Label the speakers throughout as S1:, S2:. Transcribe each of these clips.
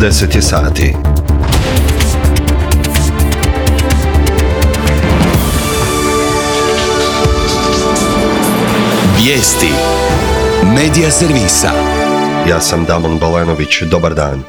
S1: 10 je sati.
S2: Vijesti Medija servisa.
S1: Ja sam Damon Balenović, dobar dan.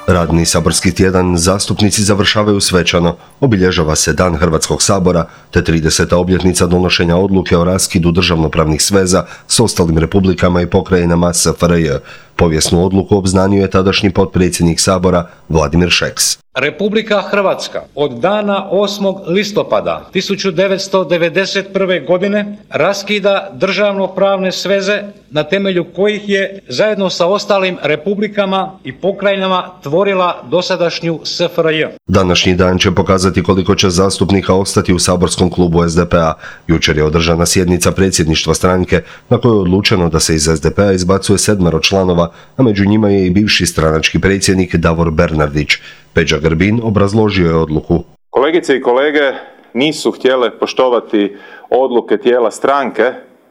S1: Radni saborski tjedan zastupnici završavaju svečano. Obilježava se Dan Hrvatskog sabora te 30. obljetnica donošenja odluke o raskidu državnopravnih sveza s ostalim republikama i pokrajinama SFRJ. Povijesnu odluku obznanio je tadašnji potpredsjednik Sabora Vladimir Šeks.
S3: Republika Hrvatska od dana 8. listopada 1991. godine raskida državnopravne sveze na temelju kojih je zajedno sa ostalim republikama i pokrajinama tvorila dosadašnju SFRJ.
S1: Današnji dan će pokazati koliko će zastupnika ostati u saborskom klubu SDP-a. Jučer je održana sjednica predsjedništva stranke na kojoj je odlučeno da se iz SDP-a izbacuje 7 članova, a među njima je i bivši stranački predsjednik Davor Bernardić. Peđa Grbin obrazložio je odluku.
S4: Kolegice i kolege nisu htjele poštovati odluke tijela stranke,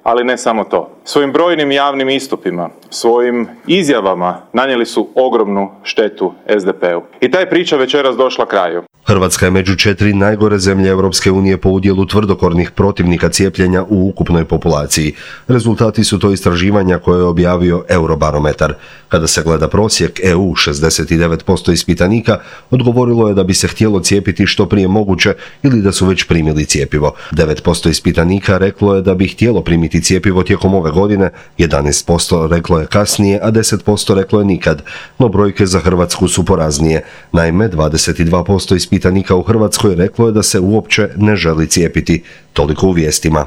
S4: ali ne samo to. Svojim brojnim javnim istupima, svojim izjavama nanijeli su ogromnu štetu SDP-u. I ta je priča večeras došla kraju.
S1: Hrvatska je među 4 najgore zemlje Europske unije po udjelu tvrdokornih protivnika cijepljenja u ukupnoj populaciji. Rezultati su to istraživanja koje je objavio Eurobarometar. Kada se gleda prosjek EU, 69% ispitanika odgovorilo je da bi se htjelo cijepiti što prije moguće ili da su već primili cjepivo. 9% ispitanika reklo je da bi htjelo primiti cjepivo tijekom ove godine, 11% reklo je kasnije, a 10% reklo je nikad. No brojke za Hrvatsku su poraznije. Naime, 22% ispitanika u Hrvatskoj reklo je da se uopće ne želi cijepiti. Toliko u vijestima.